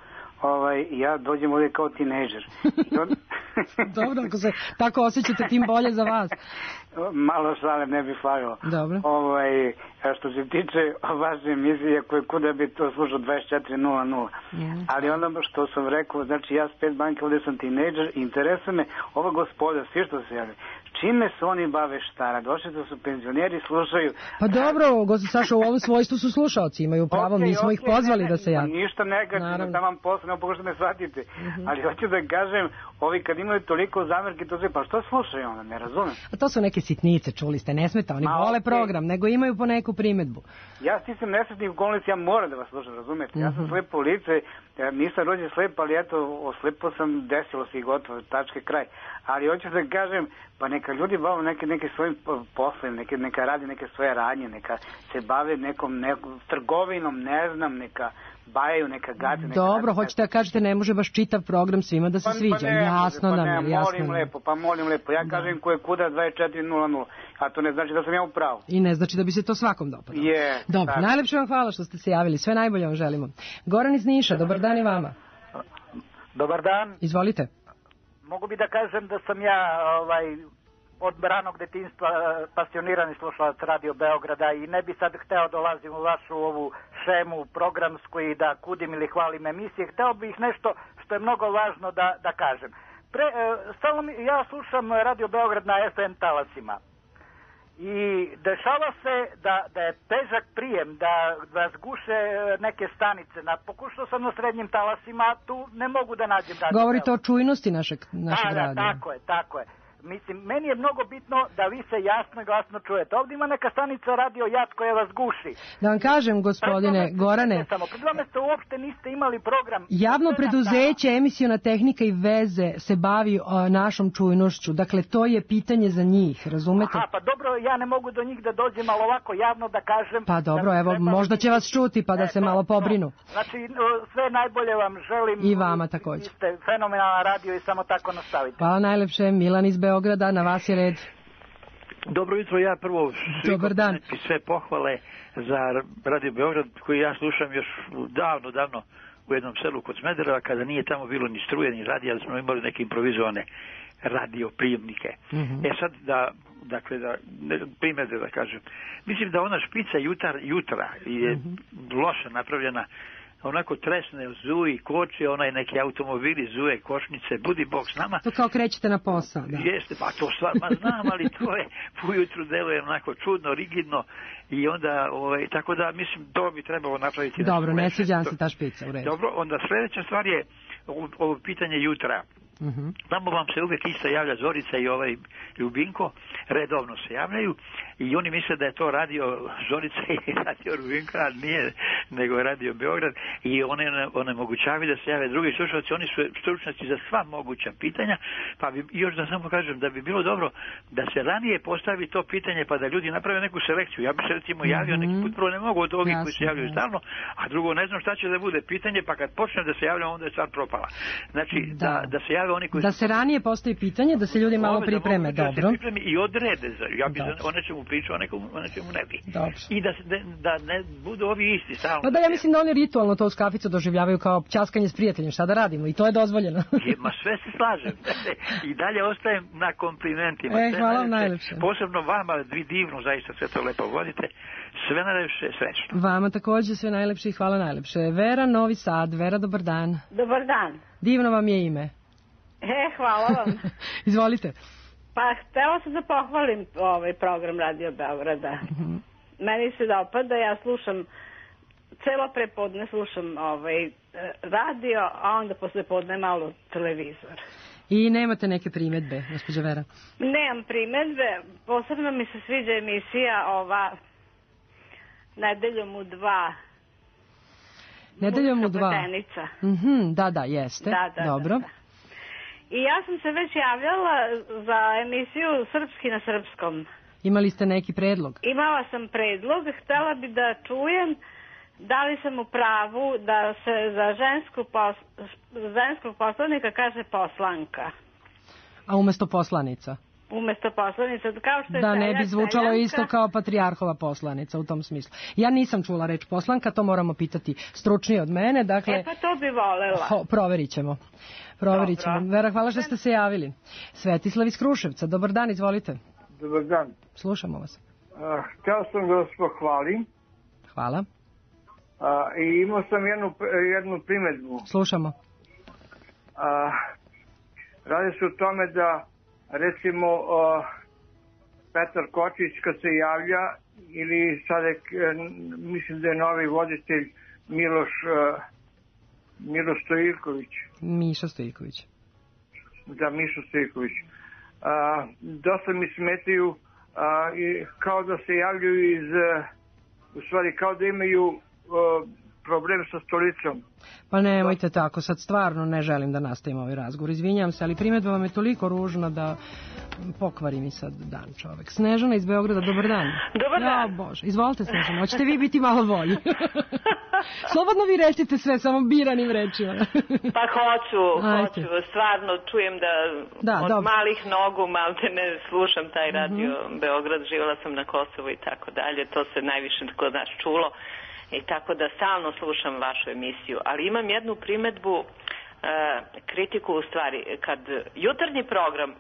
ja dođem ovdje kao tinejdžer. Dobro, ako se tako osjećate, tim bolje za vas. Malo šale, ne bih slagao. Dobro. Što se tiče vaše emisije, kuda bi to slušao 24.00. Ali ono što sam rekao, znači ja s 5 banke ovdje sam tinejdžer, interesuje me ova gospoda, svi što se javljaju. Čime se oni bave, šta? Došli da su penzioneri, slušaju... Pa dobro, Saša, u ovom svojstvu su slušalci, imaju pravo, mi smo ih pozvali da se javljaju. Ništa negativno, da vam posle, ne pokušate me shvatite. Ali hoću da kažem, kad imaju toliko zamerki, to sve, pa što slušaju onda, ne razumem. A to su neke sitnice, čuli ste, ne smeta, oni vole program, nego imaju po neku primedbu. Ja stisam nesretnih okolnosti, ja moram da vas slušam, razumete? Ja sam slepo lice, nisam rođen slep, ali eto, oslepo sam, desilo se i gotovo, tačke kraj. Ali hoću da kažem, pa neka ljudi bave neke svojim poslom, neka radi neke svoje radnje, neka se bave nekom trgovinom, ne znam, neka bajaju, neka gade. Dobro, hoćete da kažete, ne može baš čitav program svima da se sviđa. Jasno nam je, jasno nam je. Molim lepo, ja kažem ko je kuda 2400, a to ne znači da sam ja u pravu. I ne znači da bi se to svakom dopadalo. Dobro, najlepše vam hvala što ste se javili, sve najbolje vam želimo. Goran iz Niša, dobar dan i vama. Dobar dan. Izvolite. Mogu bi da kažem da sam ja od ranog detinjstva pasionirani slušalac Radio Beograda i ne bi sad hteo dolazim u vašu ovu šemu programsku i da kudim ili hvalim emisije. Hteo bih nešto što je mnogo važno da kažem. Ja slušam Radio Beograd na FM talasima i dešava se da je težak prijem, da vas guše neke stanice. Pokušao sam na srednjim talasima, tu ne mogu da nađem radio. Govorite o čujnosti našeg radija. Tako je. Mislim, meni je mnogo bitno da vi se jasno i glasno čujete. Ovdje ima neka stanica Radio Jat koja vas guši. Da vam kažem, gospodine Gorane, pred vama ste uopšte niste imali program. Javno preduzeće Emisiona tehnika i veze se bavi našom čujnošću. Dakle, to je pitanje za njih, razumete? Pa dobro, ja ne mogu do njih da dođem, ali ovako javno da kažem. Pa dobro, evo, možda će vas čuti pa da se malo pobrinu. Znači, sve najbolje vam želim. I vama također. Vi ste fenomenalan radio i samo tako nastavite. Hvala najlepše, Milan iz Beograda, na vas je red. Dobro jutro, ja prvo sve pohvale za Radio Beograd koji ja slušam još davno u jednom selu kod Smedereva kada nije tamo bilo ni struje ni radija, ali smo imali neke improvizovane radio prijemnike. Sad da primjedbe da kažem. Mislim da ona špica jutra je loše napravljena, onako tresne zuji, koče, onaj neki automobili, zuje, košnice, budi Bog s nama. To kao krećete na posao, da. Jeste, pa to stvarno znam, ali to je ujutru deluje onako čudno, rigidno i onda, tako da mislim, to bi trebalo napraviti. Dobro, ne sviđam se ta špica, u redu. Dobro, onda sljedeća stvar je ovo pitanje jutra. Tamo vam se uvijek isto javlja Zorica i Ljubinko, redovno se javljaju i oni misle da je to radio Zorica i radio Ljubinko, a nije, nego je Radio Beograd i onemogućavaju da se jave drugi slušalci, oni su stručnjaci za sva moguća pitanja, pa bi još da samo kažem da bi bilo dobro da se ranije postavi to pitanje pa da ljudi naprave neku selekciju. Ja bi se recimo javio neki put, prvo ne mogu od ovih koji se javljaju stalno, a drugo ne znam šta će da bude pitanje, pa kad počnem da se javljam onda je stvar propala. Znači da se javljaju oni koji da se ranije postavi pitanje, da se ljudi malo pripreme, dobro. Da se pripreme i odrede, ja bi o nečemu pričao, o nečemu ne bi. Dobro. I da ne budu ovi isti stalno. Pa da, ja mislim da oni ritualno to uz kaficu doživljavaju kao ćaskanje s prijateljem, šta da radimo, i to je dozvoljeno. Ma sve se slažem. I dalje ostajem na komplimentima. Hvala vam najlepše. Posebno vama, vi divno, zaista sve to lepo vodite. Sve najlepše, srećno. Vama također sve najlepše i hvala najlepše. Vera, Novi Sad. Vera, dobar dan. Dobar dan. Divno vam je ime. Hvala vam. Izvolite. Pa htela sam da pohvalim ovaj program Radio Beograda. Meni se dopada, ja slušam celo prepodne slušam radio, a onda posle podne malo televizor. I nemate neke primedbe, gospođa Vera? Nemam primedbe, posebno mi se sviđa emisija ova Nedeljom u 2. Nedeljom u 2. Pletenica. Da, jeste. Dobro. Da. I ja sam se već javljala za emisiju Srpski na srpskom. Imali ste neki predlog? Imala sam predlog, htjela bi da čujem da li sam u pravu da se za ženskog poslanika kaže poslanka. A umjesto poslanica? Umjesto poslanica, kao što je da ne bi zvučalo isto kao patrijarhova poslanica u tom smislu. Ja nisam čula reč poslanka, to moramo pitati stručnije od mene. Dakle, pa to bi volela. Proverit ćemo. Vera, hvala što ste se javili. Svetislav iz Kruševca, dobar dan, izvolite. Dobar dan. Slušamo vas. Htio sam da vas pohvalim. Hvala. I imao sam jednu primjedbu. Slušamo. Radi se o tome da recimo Petar Kočić kad se javlja ili sad mislim da je novi voditelj Miloš Stojiljković. Miša Stojiljković. za Mišu Stojković. Dosta mi smetaju kao da se javljaju u stvari kao da imaju problem sa stolicom. Pa nemojte tako, sad stvarno ne želim da nastavim ovaj razgovor, izvinjam se, ali primjedba vam je toliko ružna da pokvari mi sad dan čovek. Snežana iz Beograda, dobar dan. Dobar dan. Ja, Bože, izvolite Snežana, hoćete vi biti malo bolji? Slobodno vi recite sve, samo biranim rečima. Pa hoću, stvarno čujem da od malih nogu malte ne slušam taj radio Beograd, živjela sam na Kosovu i tako dalje, to se najviše kod nas čulo. I tako da stalno slušam vašu emisiju, ali imam jednu primedbu, kritiku u stvari, kad jutarnji program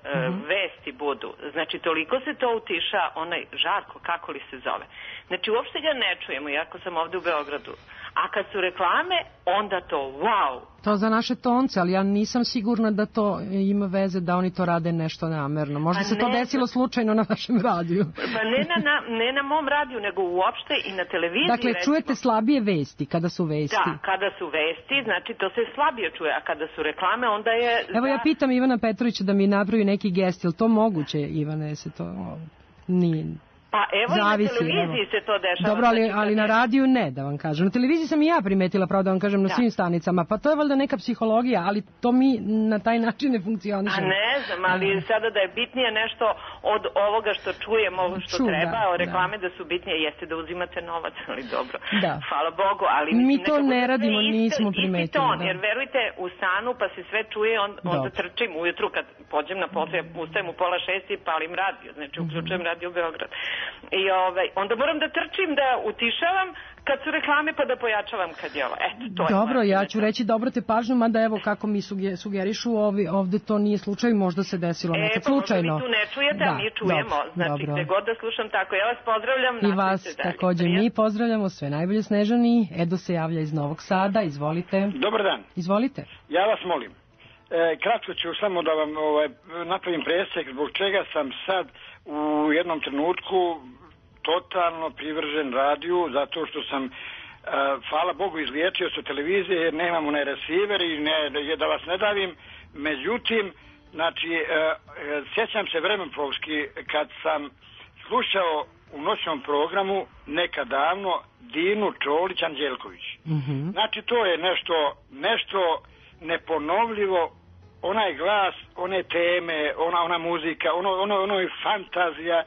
vesti budu, znači toliko se to utiša, onaj Žarko, kako li se zove, znači uopšte ga ne čujemo, iako sam ovde u Beogradu, a kad su reklame, onda to wow. To za naše tonce, ali ja nisam sigurna da to ima veze da oni to rade nešto namerno. Možda se to desilo slučajno na vašem radiju. Pa ne na mom radiju, nego uopšte i na televiziji. Dakle, čujete slabije vesti kada su vesti. Da, kada su vesti, znači to se slabije čuje, a kada su reklame, onda je... Evo ja pitam Ivana Petrovića da mi napravi neki gest, je li to moguće, Ivane, se to nije... Pa evo zavisi, i na televiziji se to dešava. Dobro, ali na radiju ne, da vam kažem. Na televiziji sam i ja primetila, pravo da vam kažem, na svim stanicama. Pa to je valjda neka psihologija, ali to mi na taj način ne funkcioniše. A ne znam, ali sada da je bitnije nešto od ovoga što čujemo, ovo što treba, o reklame da su bitnije, jeste da uzimate novac, ali dobro. Hvala Bogu, ali... Mi to ne radimo, nismo primetili. Jer verujte, u stanu pa se sve čuje, onda trčim ujutru kad pođem na posao, ustajem u 5:30 i palim radio, znači uključujem Radio Beograd. I onda moram da trčim, da utišavam kad su reklame, pa da pojačavam kad je ovo. Eto, to je. Dobro, ja ću reći da obrate pažnju, mada evo kako mi sugerišu, ovde to nije slučaj, možda se desilo nekad slučajno. Pa možda vi tu ne čujete, a mi čujemo. Znači, gde god da slušam tako. Ja vas pozdravljam. I vas takođe mi pozdravljamo, sve najbolje Snežani. Edo se javlja iz Novog Sada, izvolite. Dobar dan. Izvolite. Ja vas molim. Kratko ću samo da vam napravim presek zbog čega sam sad u jednom trenutku totalno privržen radiju, zato što sam hvala Bogu izliječio se televizije jer nemam onaj receiver i da vas ne davim, međutim znači sjećam se vremenplovski kad sam slušao u noćnom programu nekad davno Dinu Čolić Anđelković. Znači to je nešto neponovljivo, onaj glas, one teme, ona muzika, ono je fantazija,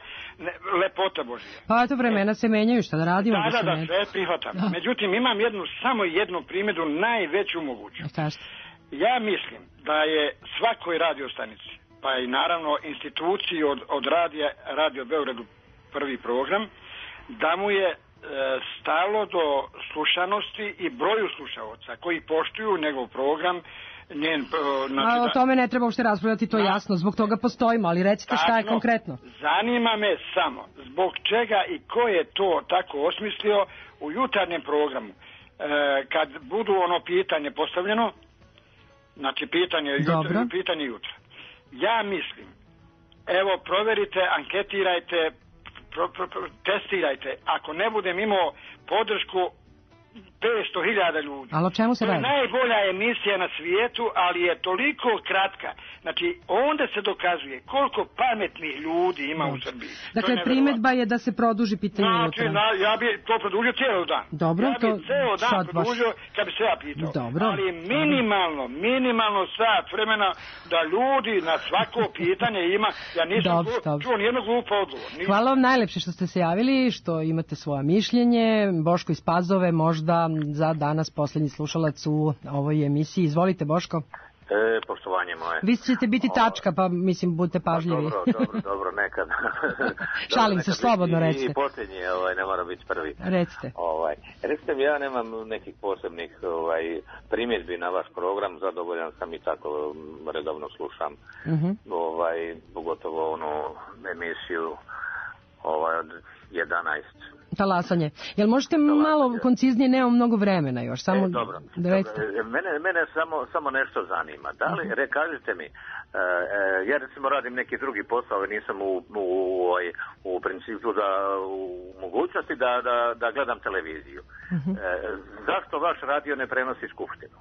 lepota Božja. Pa eto, vremena se menjaju, šta da radimo? Da, sve prihvatam. Međutim, imam samo jednu primjedbu, najveću moguću. Ja mislim da je svakoj radiostanici, pa i naravno instituciji od Radio Beogradu prvi program, da mu je stalo do slušanosti i broju slušaoca koji poštuju njegov program. O tome ne treba uopšte raspravljati, to je jasno, zbog toga postojimo, ali recite šta je konkretno. Zanima me samo zbog čega i ko je to tako osmislio u jutarnjem programu, kad budu ono pitanje postavljeno, znači pitanje jutra. Ja mislim, evo proverite, anketirajte, testirajte, ako ne budem imao podršku 500.000 ljudi. Ali o čemu se radi? To je najbolja emisija na svijetu, ali je toliko kratka. Znači, onda se dokazuje koliko pametnih ljudi ima u Srbiji. Dakle, primjedba je da se produži pitanje jutra. Znači, ja bi to produžio cijelo dan. Dobro, ja bi cijelo dan produžio kad bi se ja pitao. Dobro. Ali minimalno sat vremena da ljudi na svako pitanje ima. Ja nisam čuo nijednog glupa odgovor. Hvala vam najlepše što ste se javili, što imate svoje mišljenje. Boško iz Pazove, možda za danas posljednji slušalac u ovoj emisiji. Izvolite, Boško. Poštovanje moje. Vi ćete biti tačka, pa mislim, budite pažljivi. Dobro, nekad. Šalim se, slobodno recite. I posljednji, ne mora biti prvi. Recite. Recite mi, ja nemam nekih posebnih primjedbi na vaš program, zadovoljan sam i tako redovno slušam. Pogotovo emisiju od 11. Talasanje. Jel možete malo konciznije, nemam mnogo vremena još, samo dobro. Mene samo nešto zanima. Da li, kažite mi, ja recimo radim neki drugi posao, nisam u principu u mogućnosti da gledam televiziju. Zašto vaš radio ne prenosi skupštinu?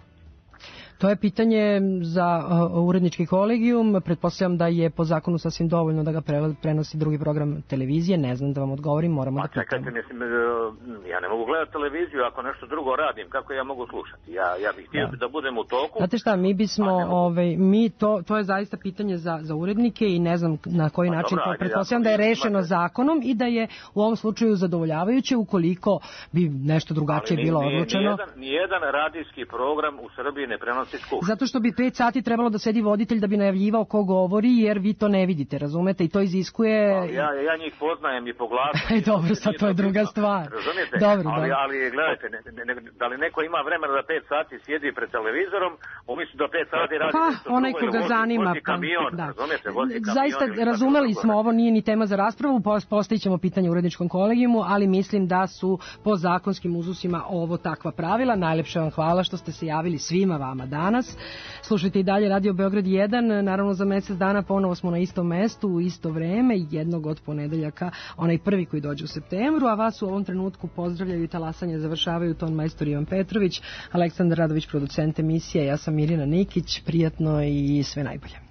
To je pitanje za urednički kolegijum. Pretpostavljam da je po zakonu sasvim dovoljno da ga prenosi drugi program televizije. Ne znam da vam odgovorim, moramo da pitamo. Čekajte, mislim, ja ne mogu gledati televiziju ako nešto drugo radim. Kako ja mogu slušati? Ja bih htio da budem u toku. Znate šta, mi bismo, to je zaista pitanje za urednike i ne znam na koji način to pretpostavljam da je rešeno zakonom i da je u ovom slučaju zadovoljavajuće ukoliko bi nešto drugačije bilo odlučeno. Nijedan radijski program u Srbiji ne prenosi Skupštinu. Zato što bi 5 sati trebalo da sedi voditelj da bi najavljivao ko govori, jer vi to ne vidite, razumete, i to iziskuje... Ja njih poznajem i po glasu. Dobro, sad to je druga stvar. Razumijete? Dobro, ali gledajte, da li neko ima vremena da 5 sati sjedi pred televizorom, umjesto da 5 sati radi nešto onaj ko ga zanima. Vozi kamion, razumijete? Zaista, razumeli smo, ovo nije ni tema za raspravu, postavit ćemo pitanje uredničkom kolegijumu, ali mislim da su po zakonskim uzusima ovo takva pravila. Najlepše vam hvala što ste se javili svima vama danas. Slušajte i dalje Radio Beograd 1, naravno za mjesec dana ponovo smo na istom mestu, u isto vreme, jednog od ponedeljaka, onaj prvi koji dođe u septembru, a vas u ovom trenutku pozdravljaju i talasanje završavaju ton majstor Ivan Petrović, Aleksandar Radović, producent emisije, ja sam Mirjana Nikić, prijatno i sve najbolje.